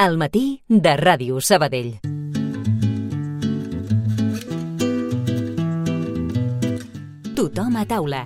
Al matí de Ràdio Sabadell. Tothom a taula.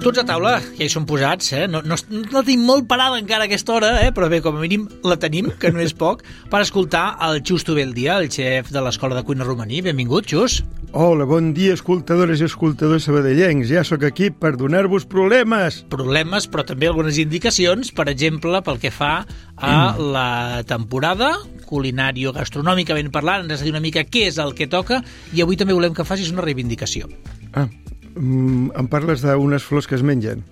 Tots a taula, ja hi són posats, No tenim molt parada encara a aquesta hora, però bé, com a mínim la tenim, que no és poc, per escoltar el Xus Tubeldia, el xef de l'Escola de Cuina Romaní. Benvingut, Xus. Hola, bon dia, escoltadores i escoltadors sabadellencs. Ja sóc aquí per donar-vos problemes. Problemes, però també algunes indicacions, per exemple, pel que fa a la temporada culinàrio-gastronòmicament parlant. Ens has de dir una mica què és el que toca i avui també volem que facis una reivindicació. Em parles d'unes flors que es mengen.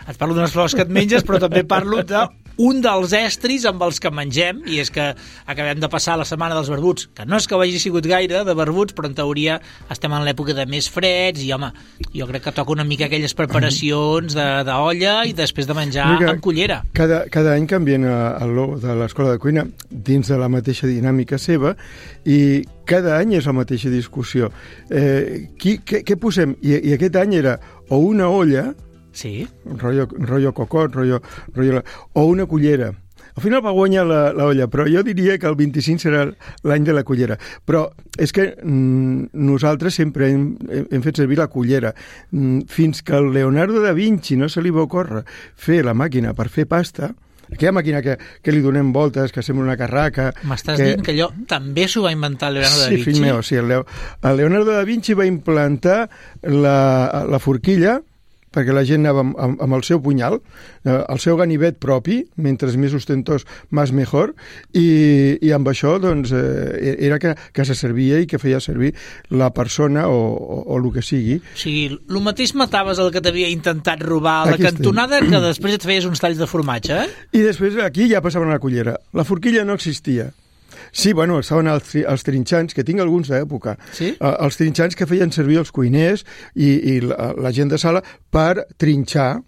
Et parlo d'unes flors que et menges, però també parlo d'un dels estris amb els que mengem, i és que acabem de passar la setmana dels barbuts, que no és que ho hagi sigut gaire de barbuts, però en teoria estem en l'època de més freds, i home, jo crec que toca una mica aquelles preparacions d'olla i després de menjar amb cullera. Cada any canvien el logo de l'Escola de Cuina dins de la mateixa dinàmica seva, i cada any és la mateixa discussió. Què posem? I aquest any era o una olla, sí, rotllo cocot, o una cullera. Al final va guanyar la olla, però jo diria que el 25 serà l'any de la cullera. Però és que nosaltres sempre hem fet servir la cullera. Fins que al Leonardo da Vinci no se li va ocórrer fer la màquina per fer pasta, aquella màquina que li donem voltes, que sembla una carraca... M'estàs dient que allò també s'ho va inventar el Leonardo da Vinci? Sí, fill meu, sí. El Leonardo da Vinci va implantar la forquilla perquè la gent anava amb el seu punyal, el seu ganivet propi, mentre més ostentós, més mejor, i amb això doncs, era que se servia i que feia servir la persona o el que sigui. O sigui, el mateix mataves el que t'havia intentat robar a la cantonada que després et feies uns talls de formatge, I després aquí ja passaven a la cullera. La forquilla no existia. Sí, bueno, estaven els trinxants, que tinc alguns d'època. Sí? Els trinxants que feien servir els cuiners i la gent de sala per trinxar,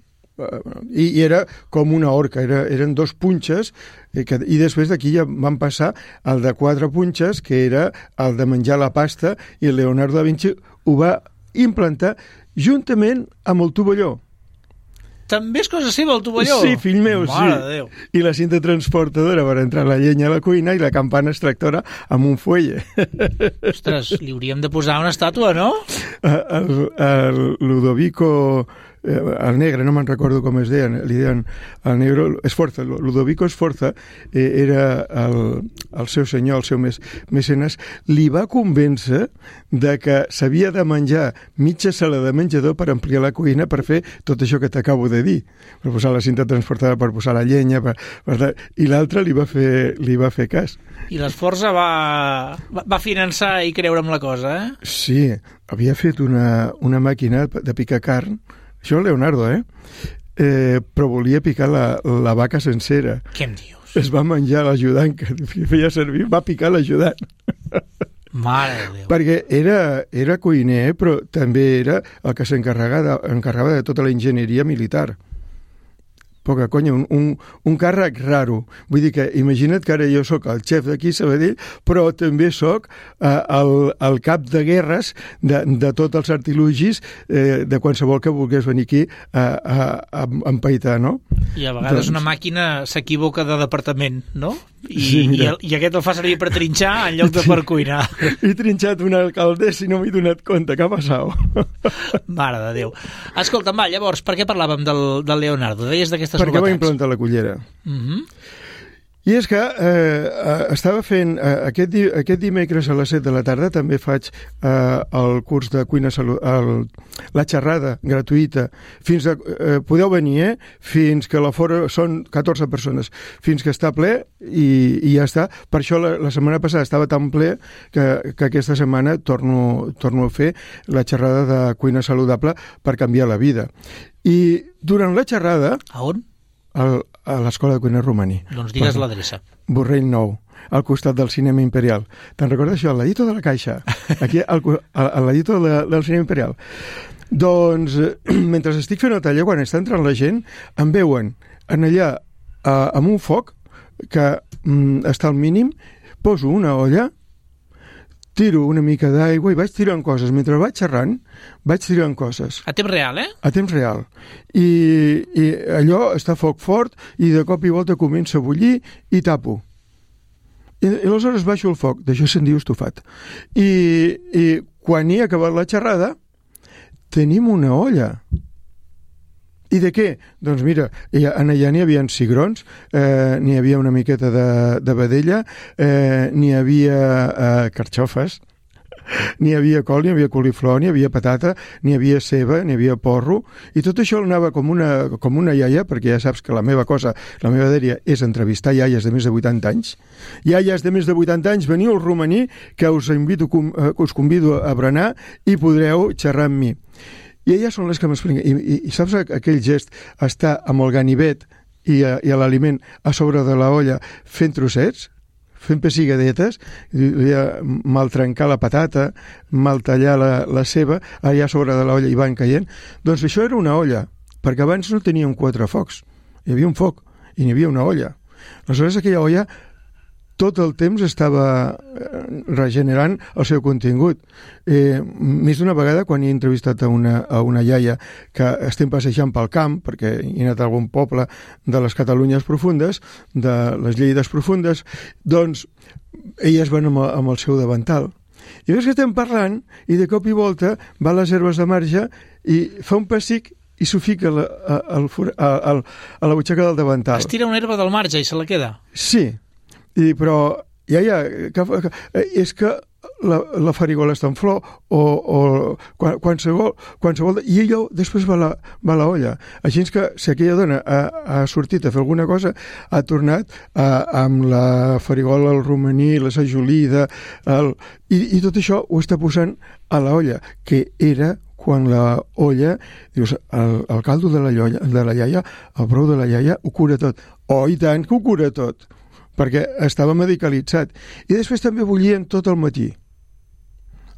i era com una horca, eren dos punxes, i després d'aquí ja van passar el de 4 punxes, que era el de menjar la pasta, i el Leonardo da Vinci ho va implantar juntament amb el tovalló. També és cosa seva, el tovalló? Sí, fill meu, Mare de Déu. I la cinta transportadora per entrar la llenya a la cuina i la campana extractora amb un fuelle. Ostres, li hauríem de posar una estàtua, no? El Ludovico... el negre, no me'n recordo com es deien, li deien el negre, Sforza, Ludovico Sforza, era el seu senyor, el seu mecenes, li va convèncer de que s'havia de menjar mitja sala de menjador per ampliar la cuina per fer tot això que t'acabo de dir, per posar la cinta transportada, per posar la llenya, i l'altre li va fer cas. I l'Esforza va finançar i creure amb la cosa, Sí, havia fet una màquina de picar carn. Això és Leonardo, però volia picar la vaca sencera. Què em dius? Es va menjar l'ajudant que feia servir, va picar l'ajudant. Mare de Déu. Perquè era cuiner, però també era el que s'encarregava de tota la enginyeria militar. Poca conya, un càrrec raro. Vull dir que imagina't que ara jo sóc el xef d'aquí, Sabadell, però també sóc el cap de guerres de tots els artilugis de qualsevol que volgués venir aquí a empaitar, no? I a vegades una màquina s'equivoca de departament, no? Sí, I aquest el fa servir per trinxar en lloc de per cuinar. He trinxat una alcaldessa i no m'he donat compte. Què ha passat? Mare de Déu. Escolta'm, llavors, per què parlàvem del Leonardo? Deies d'aquestes novetats. Perquè va implantar la cullera. I és que estava fent, aquest dimecres a les 7 de la tarda també faig el curs de cuina la xerrada gratuïta. Podeu venir, fins que l'aforo són 14 persones, fins que està ple i ja està. Per això la setmana passada estava tan ple que aquesta setmana torno a fer la xerrada de cuina saludable per canviar la vida. I durant la xerrada... A on? A l'Escola de Cuina Romaní. Doncs digues l'adreça. Borrell 9, al costat del Cinema Imperial. Te'n recordes això? Al ladito de la Caixa. Aquí, al ladito del Cinema Imperial. Doncs, mentre estic fent el taller, quan està entrant la gent, em veuen en allà amb un foc que està al mínim, poso una olla, tiro una mica d'aigua i vaig tirant coses. Mentre vaig xerrant, vaig tirant coses. A temps real, A temps real. I allò està a foc fort i de cop i volta comença a bullir i tapo. I aleshores baixo el foc. D'això se'n diu estofat. I quan hi ha acabat la xerrada, tenim una olla. I de què? Doncs mira, allà n'hi havia cigrons, n'hi havia una miqueta de vedella, n'hi havia carxofes, n'hi havia col, n'hi havia coliflor, n'hi havia patata, n'hi havia ceba, n'hi havia porro, i tot això anava com una iaia, perquè ja saps que la meva dèria és entrevistar iaies de més de 80 anys. Iaies de més de 80 anys, veniu al romaní, que us convido a berenar i podreu xerrar amb mi. I elles són les que m'expliquen. I saps aquell gest, estar amb el ganivet i l'aliment a sobre de la olla fent trossets, fent pessigadetes, mal trencar la patata, mal tallar la ceba, allà a sobre de l'olla i van caient. Doncs això era una olla, perquè abans no teníem 4 focs. Hi havia un foc i n'hi havia una olla. Aleshores aquella olla tot el temps estava regenerant el seu contingut. Més d'una vegada, quan he entrevistat a una iaia que estem passejant pel camp, perquè he anat a algun poble de les Catalunyes profundes, de les Lleides profundes, doncs elles van amb el seu davantal. I veus que estem parlant i de cop i volta va a les herbes de marge i fa un pessic i s'ho fica a la butxaca del davantal. Es tira una herba del marge i se la queda? Sí. Però és que la farigola està en flor o qualsevol i ella després va a la olla. Així que si aquella dona ha sortit a fer alguna cosa, ha tornat amb la farigola, el romaní, la sajolida i tot això ho està posant a la olla, que era quan la olla, dius, el caldo de la iaia, el brou de la iaia ho cura tot. Oh, i tant que ho cura tot, perquè estava medicalitzat. I després també bullien tot el matí.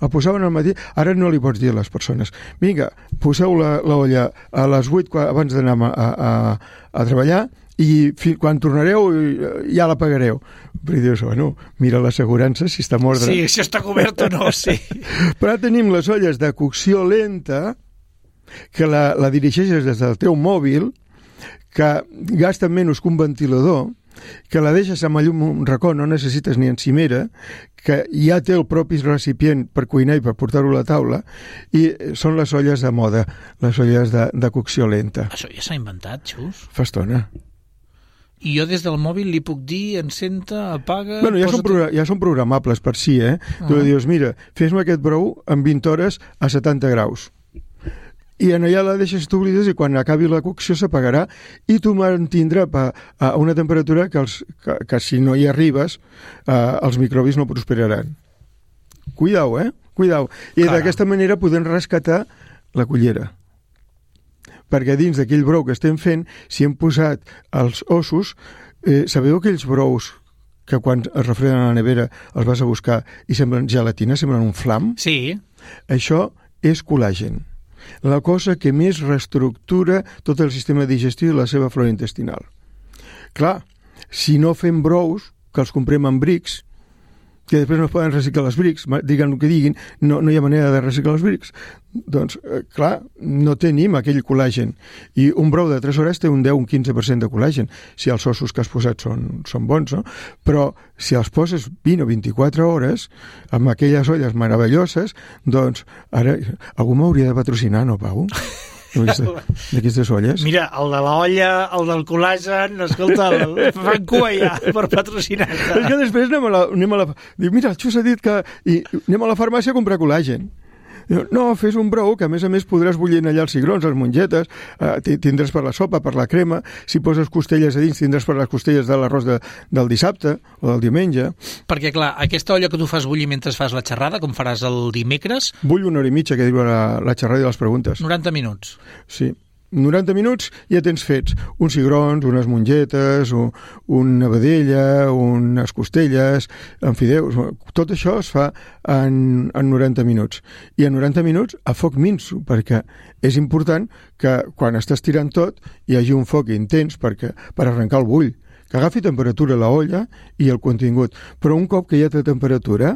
El posaven al matí. Ara no li pots dir a les persones, vinga, poseu l'olla a les 8 abans d'anar a treballar i quan tornareu ja la pagareu. Però dius, bueno, mira l'assegurança si està mordre. Sí, si està cobert o no, sí. Però tenim les olles de cocció lenta que la dirigeixes des del teu mòbil, que gasten menys que un ventilador, que la deixes amb llum un racó, no necessites ni encimera, que ja té el propi recipient per cuinar i per portar-ho a la taula, i són les olles de moda, les olles de cocció lenta. Això ja s'ha inventat, Xus? Fa estona. I jo des del mòbil li puc dir encenta, apaga... Bueno, ja són programables per si, Tu li dius, mira, fes-me aquest brou en 20 hores a 70 graus. I en allà la deixes, t'oblides, i quan acabi la cocció s'apagarà i tu mantindrà a una temperatura que si no hi arribes els microbis no prosperaran. Cuidao, Cuidao. I d'aquesta manera podem rescatar la cullera. Perquè dins d'aquell brou que estem fent, si hem posat els ossos, sabeu aquells brous que quan es refreden a la nevera els vas a buscar i semblen gelatina, semblen un flam? Sí. Això és col·làgen. La cosa que més reestructura tot el sistema digestiu i la seva flora intestinal. Clar, si no fem brous, que els comprem en brics, que després no es poden reciclar els brics, diguin el que diguin, no hi ha manera de reciclar els brics, doncs, clar, no tenim aquell col·làgen. I un brou de 3 hores té un 10-15% de col·làgen, si els ossos que has posat són bons, no? Però si els poses 20 o 24 hores, amb aquelles olles meravelloses, doncs, ara, algú m'hauria de patrocinar, no, Pau? D'aquestes olles? Mira, el de la olla, el del col·làgen, escolta, fan cua ja per patrocinar-te. És que després anem a la... Diu, mira, el Xus ha dit que... I anem a la farmàcia a comprar col·làgen. Diu, no, fes un brou que a més podràs bullir allà els cigrons, les mongetes, tindràs per la sopa, per la crema, si poses costelles a dins tindràs per les costelles de l'arròs del dissabte o del diumenge. Perquè, clar, aquesta olla que tu fas bullir mentre fas la xerrada, com faràs el dimecres... Bull 1 hora i mitja, que diu la xerrada i les preguntes. 90 minuts. Sí. 90 minuts ja tens fets uns cigrons, unes mongetes, una vedella, unes costelles, en fideus. Tot això es fa en 90 minuts. I en 90 minuts a foc minso, perquè és important que quan estàs tirant tot hi hagi un foc intens per arrencar el bull, que agafi temperatura la olla i el contingut. Però un cop que ja té temperatura,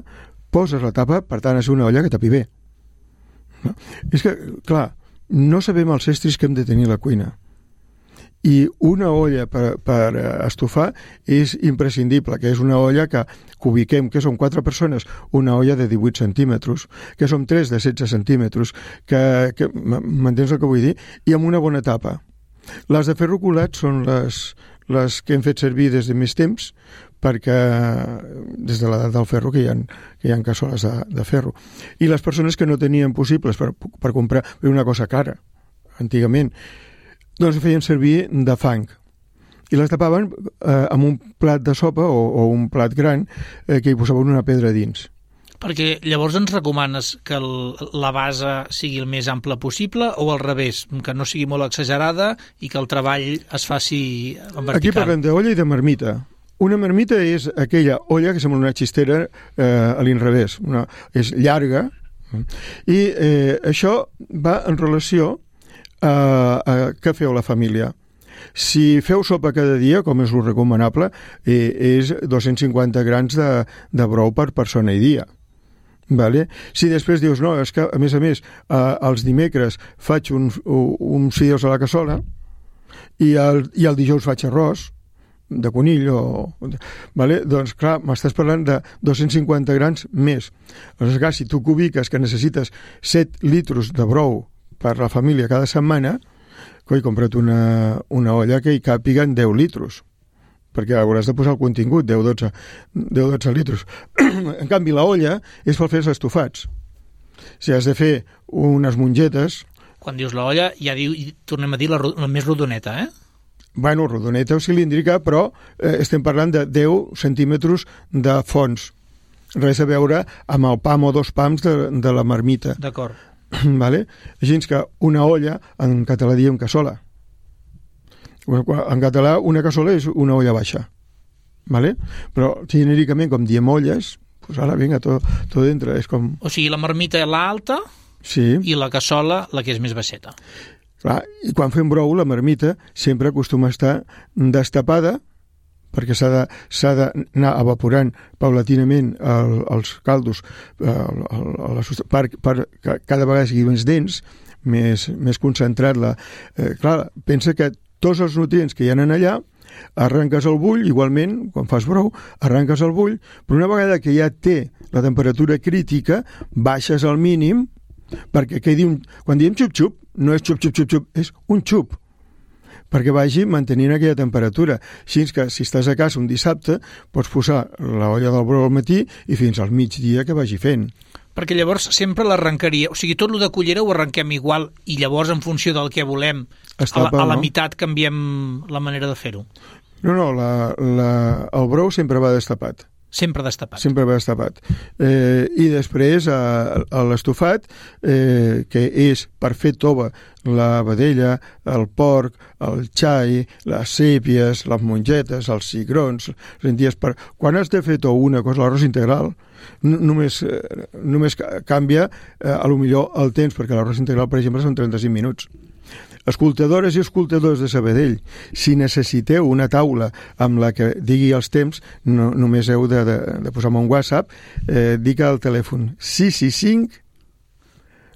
poses la tapa, per tant, ha de ser una olla que tapi bé. No? És que, clar, no sabem els estris que hem de tenir a la cuina. I una olla per estofar és imprescindible, que és una olla que ubiquem, que som 4 persones, una olla de 18 centímetres, que som 3 de 16 centímetres, que m'entens el que vull dir? I amb una bona tapa. Les de ferro colat són les que hem fet servir des de més temps, perquè des de l'edat del ferro que hi ha cassoles de ferro. I les persones que no tenien possibles per comprar una cosa cara, antigament, doncs feien servir de fang. I les tapaven amb un plat de sopa o un plat gran que hi posaven una pedra dins. Perquè llavors ens recomanes que la base sigui el més ample possible o al revés, que no sigui molt exagerada i que el treball es faci en vertical? Aquí parlem d'olla i de marmita. Una marmita és aquella olla que sembla una xistera a l'inrevés, és llarga, i això va en relació a què feu la família. Si feu sopa cada dia, com és el recomanable, és 250 grams de brou per persona i dia. Vale? Si després dius, no, és que a més, els dimecres faig uns fideus a la cassola i el dijous faig arròs de conill vale? Doncs clar, m'estàs parlant de 250 grams més. Aleshores, clar, si tu ubiques que necessites 7 litres de brou per la família cada setmana, compra't una olla que hi càpiguen 10 litres, perquè hauràs de posar el contingut, 10-12 litres. En canvi, la olla és per fer els estofats. Si has de fer unes mongetes... Quan dius la olla, ja tornem a dir la més rodoneta, eh? Bueno, rodoneta o cilíndrica, però estem parlant de 10 centímetres de fons. Res a veure amb el pam o 2 pams de la marmita. D'acord. Vale? Així que una olla, en català diem cassola. En català una cassola és una olla baixa. Vale? Però genèricament, com diem olles, pues ara vinga, tot dintre. És com... O sigui, la marmita és l'alta, sí, i la cassola la que és més baixeta. Clar, i quan fem brou, la marmita sempre acostuma a estar destapada, perquè s'ha d'anar evaporant paulatinament els caldos per cada vegada sigui més dens, més concentrat. Clar, pensa que tots els nutrients que hi ha allà arrenques el bull, igualment, quan fas brou, arrenques el bull, però una vegada que ja té la temperatura crítica, baixes al mínim, perquè quan diem xup-xup, no és xup-xup-xup-xup, és un xup, perquè vagi mantenint aquella temperatura. Així que, si estàs a casa un dissabte, pots posar l'olla del brou al matí i fins al migdia que vagi fent. Perquè llavors sempre l'arrencaria, o sigui, tot el de cullera ho arrenquem igual i llavors en funció del que volem a la meitat canviem la manera de fer-ho. No, el brou sempre va destapat. Sempre destapat. Sempre va destapat. I després l'estofat, que és per fer tova la vedella, el porc, el xai, les sèpies, les mongetes, els cigrons, les lenties. Quan has de fer una cosa, l'arròs integral, només canvia a lo millor el temps, perquè l'arròs integral, per exemple, són 35 minuts. Escoltadores i escoltadors de Sabadell, si necessiteu una taula amb la que digui els temps, només heu de posar-me un WhatsApp, dic al telèfon 665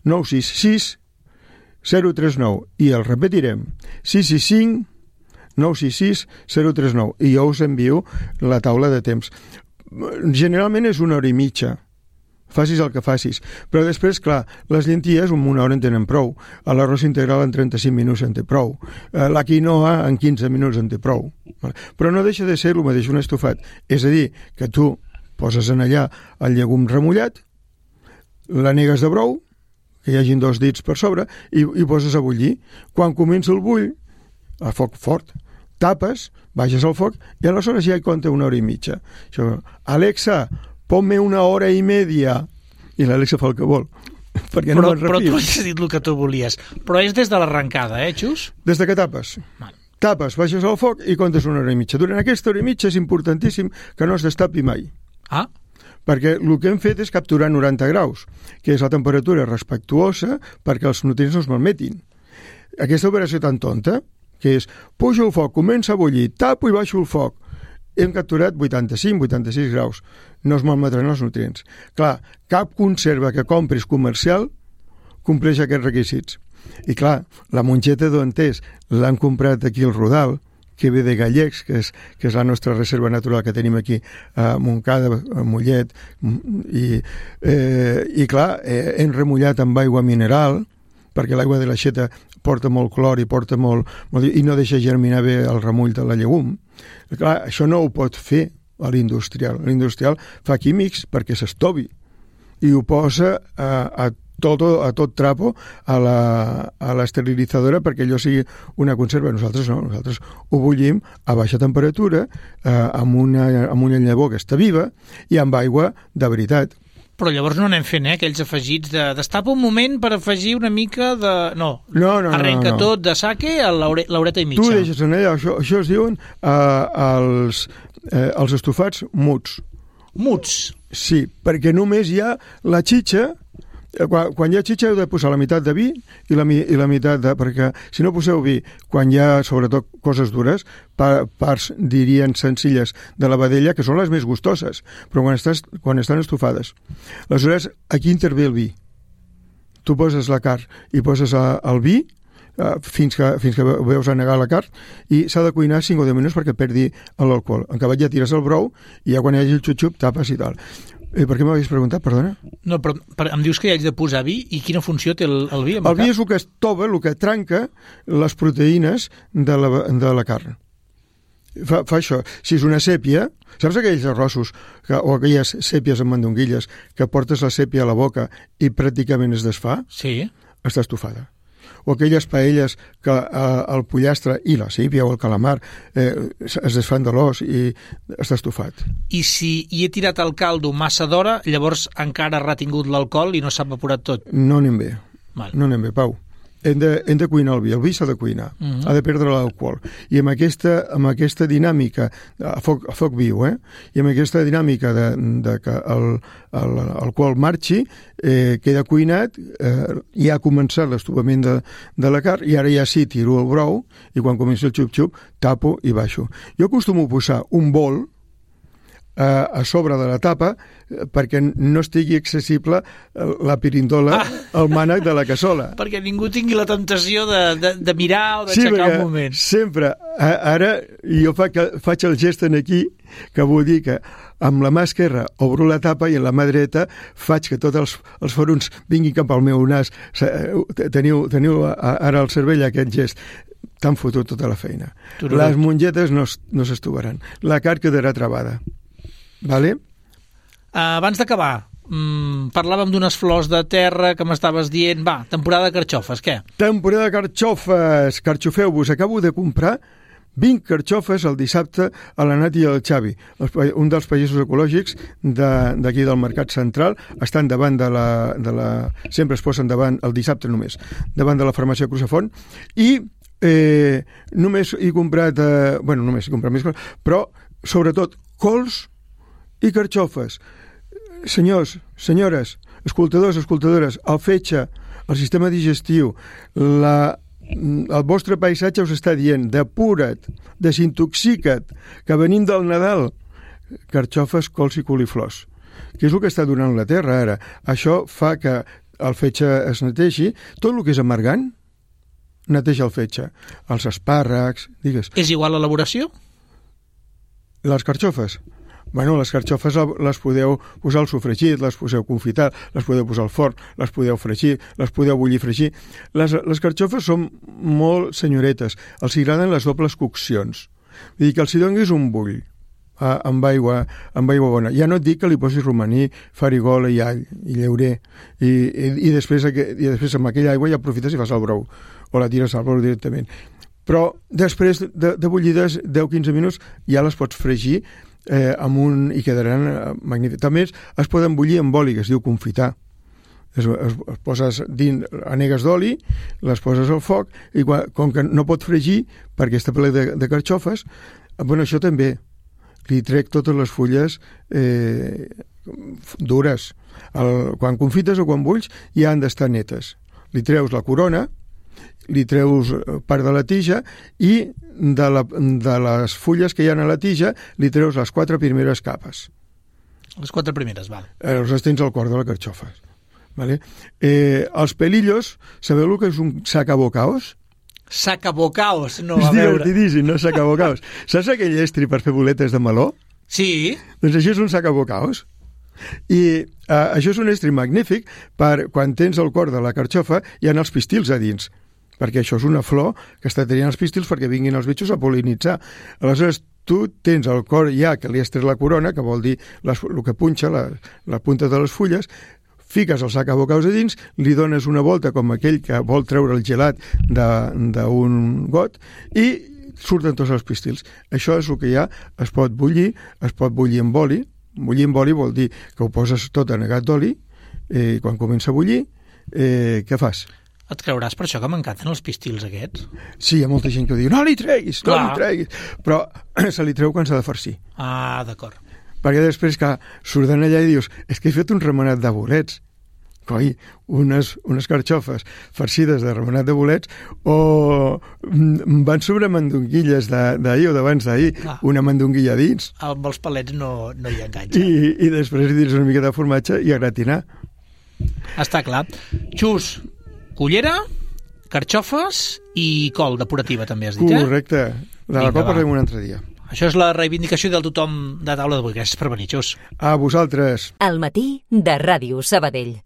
966 039 i el repetirem 665 966 039 i jo us envio la taula de temps. Generalment és 1 hora i mitja, facis el que facis, però després, clar, les llenties en 1 hora en tenen prou, l'arròs integral en 35 minuts en té prou, la quinoa en 15 minuts en té prou, però no deixa de ser el mateix un estofat, és a dir, que tu poses en allà el llegum remullat, l'anegues de brou, que hi hagin 2 dits per sobre, i poses a bullir. Quan comença el bull, a foc fort, tapes, baixes el foc, i aleshores ja hi compta 1 hora i mitja. Això, Alexa, ponme 1 hora i mitja, i l'Alexa fa el que vol, perquè no me'n refio. Però tu has dit el que tu volies. Però és des de l'arrencada, Xus? Des de que tapes. Tapes, baixes el foc i comptes 1 hora i mitja. Durant aquesta hora i mitja és importantíssim que no es destapi mai. Ah. Perquè el que hem fet és capturar 90 graus, que és la temperatura respectuosa perquè els nutrients no es malmetin. Aquesta operació tan tonta, que és pujo el foc, comença a bullir, tapo i baixo el foc, hem capturat 85-86 graus. No es malmetran els nutrients. Clar, cap conserva que compris comercial compleix aquests requisits. I clar, la mongeta d'Ontès l'han comprat aquí al Rodal, que ve de Gallecs, que és la nostra reserva natural que tenim aquí a Montcada, a Mollet, i clar, hem remullat amb aigua mineral, perquè l'aigua de l'aixeta porta molt clor i porta molt i no deixa germinar bé el remull de la llegum. Clar, això no ho pot fer a l'industrial. L'industrial fa químics perquè s'estovi i ho posa a tot trapo a l'esterilitzadora perquè allò sigui una conserva. Nosaltres no, nosaltres ho bullim a baixa temperatura amb una llavor que està viva i amb aigua de veritat. Però llavors no anem fent, aquells afegits destapa un moment per afegir una mica de... No. Arrenca tot de sake a l'horeta i mitja. Tu deixes en allà, això es diuen els estofats muts. Muts? Sí, perquè només hi ha la xitxa. Quan hi ha xitxa heu de posar la meitat de vi i la meitat de... Perquè si no poseu vi, quan hi ha sobretot coses dures, parts dirien senzilles de la vedella, que són les més gustoses, però quan estan estofades. Aleshores, aquí intervé el vi. Tu poses la carn i poses el vi fins que veus anegar la carn i s'ha de cuinar 5 o 10 minuts perquè perdi l'alcohol. En acabat ja tires el brou i ja quan hi hagi el xup-xup tapes i tal. Per què m'havies preguntat, perdona? No, però em dius que hi haig de posar vi i quina funció té el vi? El vi és el que estova, el que trenca les proteïnes de la carn. Fa això. Si és una sèpia, saps aquells arrossos o aquelles sèpies amb mandonguilles que portes la sèpia a la boca i pràcticament es desfà? Sí. Està estofada. O aquelles paelles que el pollastre i la sípia o el calamar es desfan de l'os i està estofat. I si hi he tirat el caldo massa d'hora, llavors encara ha retingut l'alcohol i no s'ha evaporat tot? No anem bé. Val. No anem bé, Pau. Hem de cuinar el vi s'ha de cuinar, ha de perdre l'alcohol. I amb aquesta dinàmica, a foc viu, i amb aquesta dinàmica de que l'alcohol marxi, queda cuinat, ja ha començat l'estofament de la carn, i ara ja sí tiro el brou, i quan comença el xup-xup, tapo i baixo. Jo acostumo a posar un bol a sobre de la tapa perquè no estigui accessible la pirindola al mànec de la cassola. Perquè ningú tingui la tentació de mirar o d'aixecar un moment. Sempre. Ara jo faig el gest en aquí que vull dir que amb la mà esquerra obro la tapa i amb la mà dreta faig que tots els forns vinguin cap al meu nas. Teniu ara al cervell aquest gest. T'han fotut tota la feina. Les mongetes no s'estovaran. La carn quedarà travada. Vale? Abans d'acabar, parlàvem d'unes flors de terra que m'estaves dient. Va, temporada de carxofes, què? Temporada de carxofes! Carxofeu-vos! Acabo de comprar 20 carxofes el dissabte a la Nati i al Xavi, un dels països ecològics d'aquí del Mercat Central. Estan davant sempre es posen davant, el dissabte només, davant de la farmàcia Crusafont, i només he comprat només he comprat més coses, però sobretot cols i carxofes. Senyors, senyores, escoltadors, escoltadores, el fetge, el sistema digestiu, el vostre paisatge us està dient: depura't, desintoxica't, que venim del Nadal. Carxofes, cols i coliflors, que és el que està donant la terra ara. Això fa que el fetge es neteixi. Tot el que és amargant neteja el fetge. Els espàrrecs, digues. És igual l'elaboració? Les carxofes? Bueno, les carxofes les podeu posar al sofregit, les podeu confitar, les podeu posar al forn, les podeu fregir, les podeu bullir i fregir. Les carxofes són molt senyoretes, els agraden les dobles coccions. Vull dir que els hi donis un bull amb aigua bona. Ja no et dic que li posis romaní, farigola i all, i llaurer, i després amb aquella aigua ja aprofites i fas el brou, o la tires al brou directament. Però després de bullides 10-15 minuts ja les pots fregir i quedaran magnífics. També es poden bullir amb oli, que es diu confitar. Es poses dins, anegues d'oli, les poses al foc, i com que no pot fregir perquè està ple de carxofes, això també li trec totes les fulles dures. Quan confites o quan bulls ja han d'estar netes. Li treus la corona, li treus part de la tija i de les fulles que hi ha a la tija li treus les 4 primeres capes. Les 4 primeres, val. Els tens al cor de la carxofa. Vale? Els pelillos, sabeu el que és un sacabocaos? Sacabocaos, no, És a veure. divertidíssim, no? Sacabocaos. Saps aquell estri per fer boletes de meló? Sí. Doncs això és un sacabocaos. I això és un estri magnífic per quan tens el cor de la carxofa hi ha els pistils a dins, perquè això és una flor que està tenint els pistils perquè vinguin els bitxos a pol·linitzar. Aleshores, tu tens el cor ja que li has tret la corona, que vol dir el que punxa, la punta de les fulles, fiques el sacabocaus a dins, li dones una volta com aquell que vol treure el gelat d'un got i surten tots els pistils. Això és el que hi ha, es pot bullir amb oli. Bullir amb oli vol dir que ho poses tot anegat d'oli i quan comença a bullir, què fas? Et creuràs per això que m'encanten els pistils aquests? Sí, hi ha molta gent que ho diu, no li treguis, però se li treu quan s'ha de farcir. Ah, d'acord. Perquè després que surten allà i dius, és que he fet un remenat de bolets. Coi, unes carxofes farcides de remenat de bolets o van sobre mandonguilles d'ahir o d'abans d'ahir, una mandonguilla dins. Amb els palets no hi enganxa. I després hi dins una mica de formatge i a gratinar. Està clar. Xus, cullera, carxofes i col depurativa, també has dit, Correcte. De la col parlem un altre dia. Això és la reivindicació del tothom de taula d'avui. Gràcies per venir, Xus. A vosaltres. Al matí de Ràdio Sabadell.